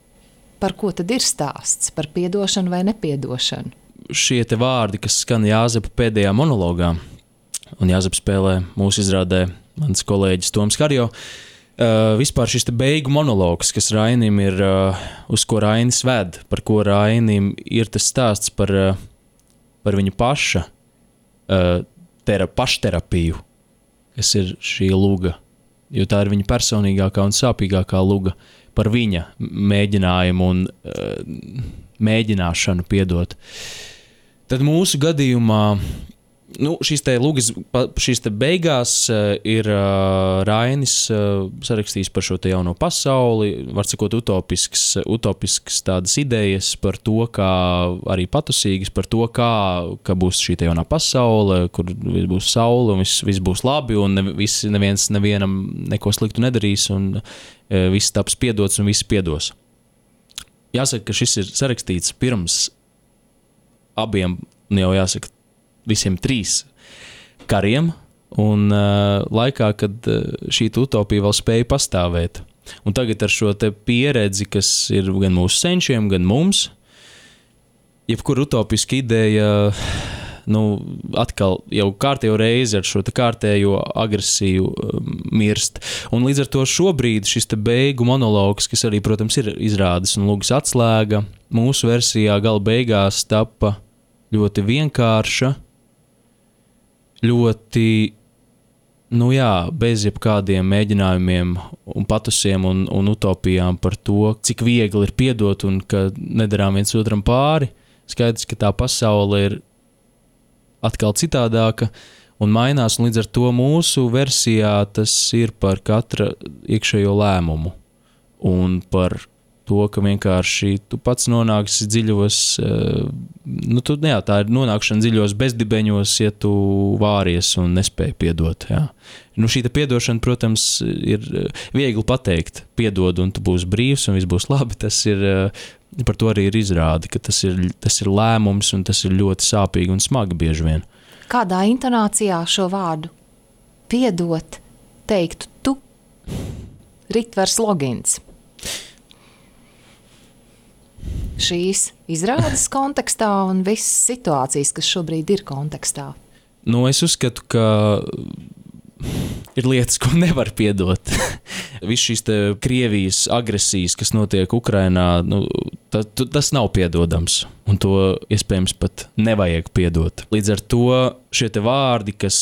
Speaker 1: par ko tad ir stāsts, par piedošanu vai nepiedošanu?
Speaker 2: Šie te vārdi, kas skan Jāzepa pēdējā monologā, un Jāzep spēlē mūsu izrādē mans kolēģis Toms Harjo, Uh, vispār šis te beigu monologs, kas Rainim ir, uh, uz ko Rainis ved, par ko Rainim ir tas stāsts par, uh, par viņa paša uh, tera, pašterapiju, kas ir šī luga, jo tā ir viņa personīgākā un sāpīgākā luga par viņa mēģinājumu un uh, mēģināšanu piedot. Tad mūsu gadījumā Nu, šīs te lugas, šīs te beigās uh, ir uh, Rainis uh, sarakstījis par šo te jauno pasauli, var sakot utopisks, utopisks tādas idejas par to, kā arī patusīgas, par to, kā, kā būs šī te jaunā pasaule, kur būs saule un viss, viss būs labi un ne, viss, neviens nevienam neko sliktu nedarīs un uh, viss taps piedots un viss piedos. Jāsaka, ka šis ir sarakstīts pirms abiem, jau jāsaka, visiem trīs kariem un uh, laikā, kad uh, šī utopija vēl spēja pastāvēt. Un tagad ar šo te pieredzi, kas ir gan mūsu senčiem, gan mums, jebkur utopiska ideja, nu, atkal jau kārtējo reizi ar šo te kārtējo agresiju um, mirst. Un līdz ar to šobrīd šis te beigu monologs, kas arī, protams, ir izrādes un lugas atslēga, mūsu versijā gala beigās tapa ļoti vienkārša, ļoti, nu jā, bez jebkādiem mēģinājumiem un patusiem un, un utopijām par to, cik viegli ir piedot un ka nedarām viens otram pāri. Skaidrs, ka tā pasaule ir atkal citādāka un mainās, un līdz ar to mūsu versijā tas ir par katra iekšējo lēmumu un par to, ka vienkārši tu pats nonāksi dziļos, nu, tu, jā, tā ir nonākšana dziļos bezdibeņos, ja tu vāries un nespēji piedot, jā. Nu, šī piedošana, protams, ir viegli pateikt, piedod un tu būsi brīvs un viss būs labi, tas ir, par to arī ir izrādi, ka tas ir, tas ir lēmums un tas ir ļoti sāpīgi un smagi bieži vien.
Speaker 1: Kādā intonācijā šo vārdu piedot teiktu tu? Ritvers Logins. Šīs izrādes kontekstā un visas situācijas, kas šobrīd ir kontekstā.
Speaker 2: Nu, es uzskatu, ka ir lietas, ko nevar piedot. Viss šīs te Krievijas agresijas, kas notiek Ukrainā, nu, ta, tas nav piedodams. Un to iespējams pat nevajag piedot. Līdz ar to šie te vārdi, kas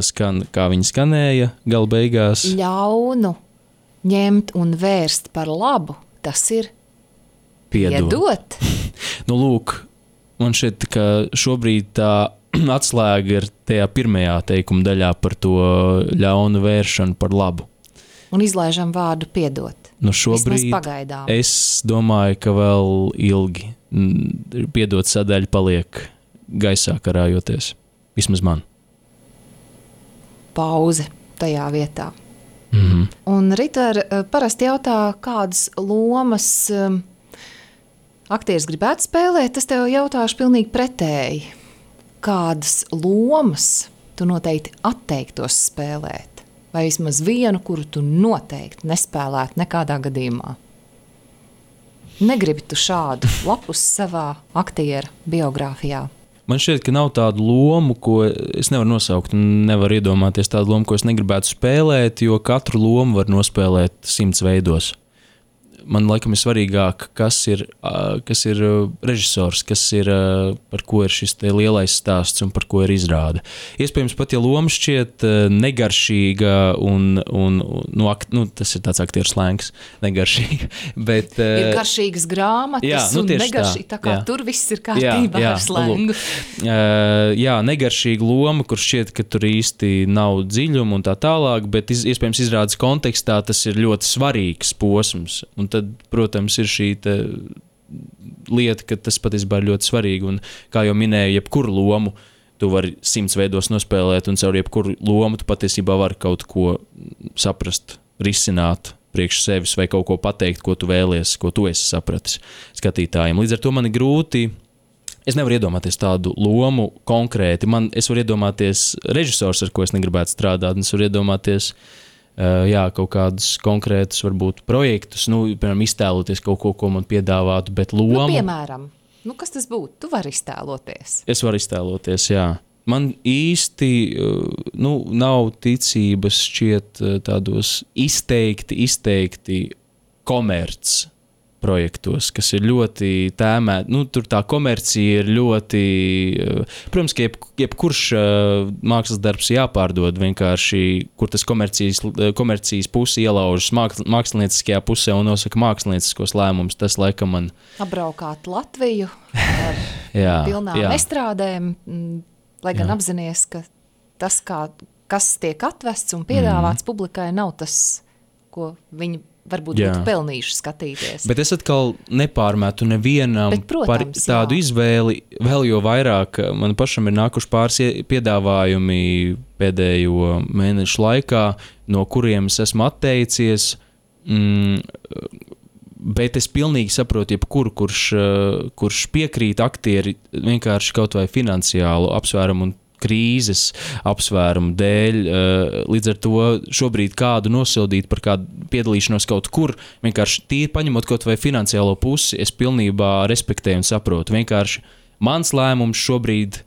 Speaker 2: skan, kā viņi skanēja gala beigās.
Speaker 1: Ļaunu ņemt un vērst par labu, tas ir piedot. piedot.
Speaker 2: Nu, lūk, man šķiet, ka šobrīd tā atslēga ir tajā pirmajā teikuma daļā par to ļaunu vēršanu par labu.
Speaker 1: Un izlaižam vārdu piedot.
Speaker 2: Nu, šobrīd es domāju, ka vēl ilgi piedot sadaļa paliek gaisā karājoties. Vismaz man.
Speaker 1: Pauze tajā vietā.
Speaker 2: Mm-hmm.
Speaker 1: Un Ritver parasti jautā, kādas lomas um, aktieris gribētu spēlēt, tas tev jautāšu pilnīgi pretēji. Kādas lomas tu noteikti atteiktos spēlēt? Vai vismaz vienu, kuru tu noteikti nespēlētu nekādā gadījumā? Negribi tu šādu lapus savā aktiera biogrāfijā?
Speaker 2: Man šķiet, ka nav tādu lomu, ko es nevaru nosaukt, un nevaru iedomāties tādu lomu, ko es negribētu spēlēt, jo katru lomu var nospēlēt simts veidos. Man laikam ir svarīgāk, kas ir, kas ir režisors, kas ir, par ko ir šis te lielais stāsts un par ko ir izrāde. Iespējams, pat ja loma šķiet negaršīga un, un nu, akt, nu, tas ir tāds aktieru slēngs, negaršīga, bet...
Speaker 1: Ir garšīgas grāmatas jā, nu, un negaršīga, tā, tā kā jā. Tur viss ir kārtībā jā, jā, ar slēngu.
Speaker 2: Uh, jā, negaršīga loma, kur šķiet, ka tur īsti nav dziļuma un tā tālāk, bet iz, iespējams izrādes kontekstā tas ir ļoti svarīgs posms. Un tad, protams, ir šī lieta, ka tas patiesībā ir ļoti svarīgi. Un, kā jau minēju, jebkuru lomu tu vari simts veidos nospēlēt, un caur jebkuru lomu tu patiesībā vari kaut ko saprast, risināt priekš sevis vai kaut ko pateikt, ko tu vēlies, ko tu esi sapratis skatītājiem. Līdz ar to man ir grūti. Es nevaru iedomāties tādu lomu konkrēti. Man, es varu iedomāties režisors, ar ko es negribētu strādāt, un es varu iedomāties Uh, jā, kaut kādus konkrētus, varbūt, projektus, nu, piemēram, iztēloties kaut ko, ko man piedāvātu, bet lomu...
Speaker 1: Nu, piemēram, nu, kas tas būtu? Tu vari iztēloties.
Speaker 2: Es varu iztēloties, jā. Man īsti, uh, nu, nav ticības šķiet uh, tādos izteikti, izteikti komerc projektos, kas ir ļoti tēmēti. Nu, tur tā komercija ir ļoti... Protams, ka jeb, jebkurš uh, mākslas darbs jāpārdod vienkārši, kur tas komercijas, komercijas pusi ielaužas mākslinieckajā pusē un nosaka mākslinieckos lēmumus. Tas, laikam, man...
Speaker 1: Apbraukāt Latviju ar jā, pilnām jā. estrādēm, lai gan jā. apzinies, ka tas, kā, kas tiek atvests un piedāvāts mm. publikai, nav tas, ko viņi varbūt jā. būtu pelnījuši skatīties.
Speaker 2: Bet es atkal nepārmetu nevienam Bet, protams, par tādu jā. izvēli, vēl jo vairāk man pašam ir nākuši pāris piedāvājumi pēdējo mēnešu laikā, no kuriem es esmu atteicies, mm, bet es pilnīgi saprotu jebkuru, kurš, kurš piekrīt aktieri vienkārši kaut vai finansiālu apsvērumu un krīzes apsvērumu dēļ, līdz ar to šobrīd kādu nosildīt par kādu piedalīšanos kaut kur, vienkārši tīri paņemot kaut vai finansiālo pusi, es pilnībā respektēju un saprotu. Vienkārši mans lēmums šobrīd,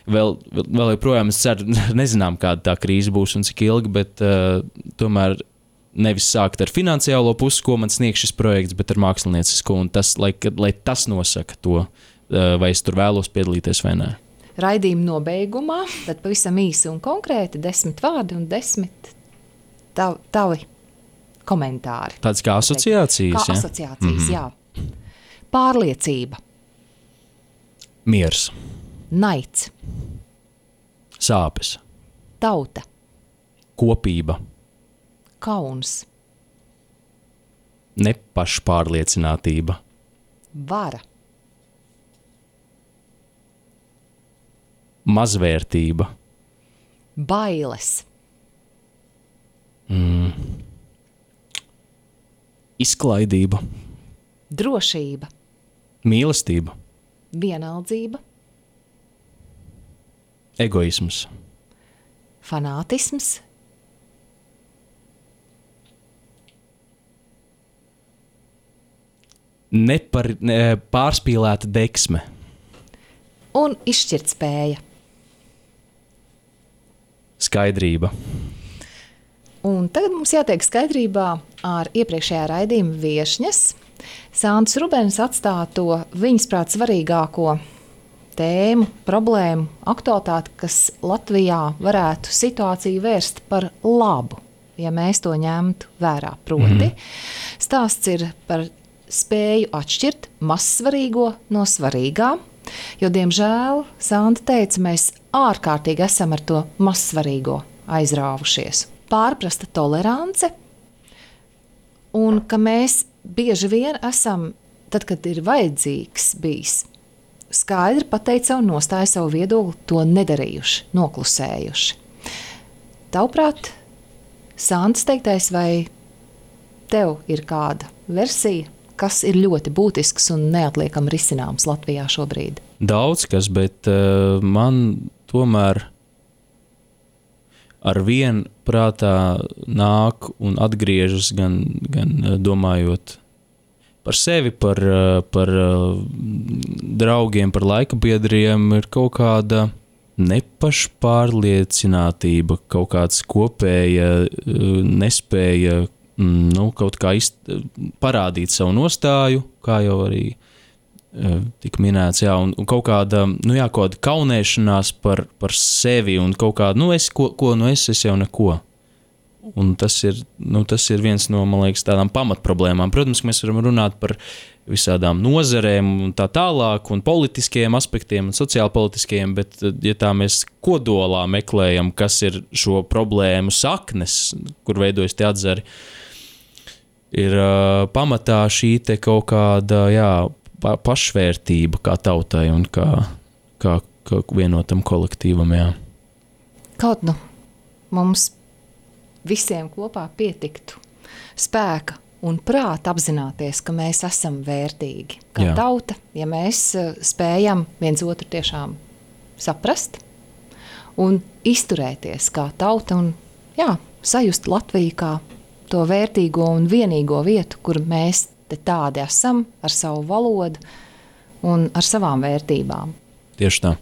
Speaker 2: vēl, vēl joprojām es ceru, nezinām, kāda tā krīze būs un cik ilgi, bet uh, tomēr nevis sākt ar finansiālo pusi, ko man sniegs šis projekts, bet ar māksliniecisko, un tas, lai, lai tas nosaka to, uh, vai es tur vēlos piedalīties vai nē.
Speaker 1: Raidījuma nobeigumā, tad pavisam īsi un konkrēti, desmit vārdi un desmit tav, tavi komentāri.
Speaker 2: Tāds kā asociācijas,
Speaker 1: kā
Speaker 2: ja?
Speaker 1: asociācijas, mm-hmm. jā. Pārliecība.
Speaker 2: Miers.
Speaker 1: Naids.
Speaker 2: Sāpes.
Speaker 1: Tauta.
Speaker 2: Kopība.
Speaker 1: Kauns.
Speaker 2: Nepašpārliecinātība.
Speaker 1: Vara.
Speaker 2: Mazvērtība.
Speaker 1: Bailes.
Speaker 2: Mm. Izklaidība.
Speaker 1: Drošība.
Speaker 2: Mīlestība.
Speaker 1: Vienaldzība.
Speaker 2: Egoisms.
Speaker 1: Fanātisms.
Speaker 2: nepar, ne, pārspīlēta deksme.
Speaker 1: Un izšķirt spēja.
Speaker 2: Skaidrība.
Speaker 1: Un tagad mums jātiek skaidrībā ar iepriekšējā raidījuma viešņas. Santas Rubens atstāja to viņas prāt svarīgāko tēmu, problēmu, aktualitāti, kas Latvijā varētu situāciju vērst par labu, ja mēs to ņemtu vērā. Proti, stāsts ir par spēju atšķirt mazsvarīgo no svarīgā, jo, diemžēl, Santa teica, mēs ārkārtīgi esam ar to mazsvarīgo aizrāvušies. Pārprasta tolerance, un ka mēs bieži vien esam, tad, kad ir vajadzīgs bijis, skaidri pateikt savu nostāju, savu viedokli, to nedarījuši, noklusējuši. Tavuprāt, Santas teiktais, vai tev ir kāda versija, kas ir ļoti būtisks un neatliekam risināms Latvijā šobrīd?
Speaker 2: Daudz kas, bet uh, man tomēr ar vien prātā nāk un atgriežas gan, gan domājot par sevi, par, par draugiem, par laikabiedriem, ir kaut kāda nepašpārliecinātība, kaut kāds kopēja nespēja nu, kaut kā izt, parādīt savu nostāju, kā jau arī tika minēts, jā, un, un kaut kāda, nu jā, kaut kāda kaunēšanās par, par sevi un kaut kāda, nu es, ko, ko nu es, es jau neko. Un tas ir, nu, tas ir viens no, man liekas, tādām pamatproblēmām. Protams, ka mēs varam runāt par visādām nozarēm un tā tālāk, un politiskiem aspektiem, un sociālpolitiskiem, bet, ja tā mēs kodolā meklējam, kas ir šo problēmu saknes, kur veidojas tie atzari, ir uh, pamatā šī te kaut kāda, jā, pašvērtība kā tautai un kā, kā, kā vienotam kolektīvam, jā.
Speaker 1: Kaut nu mums visiem kopā pietiktu spēka un prāta apzināties, ka mēs esam vērtīgi kā jā. Tauta, ja mēs spējam viens otru tiešām saprast un izturēties kā tauta un jā, sajust Latviju kā to vērtīgo un vienīgo vietu, kur mēs te tādi esam ar savu valodu un ar savām vērtībām.
Speaker 2: Tieši tā.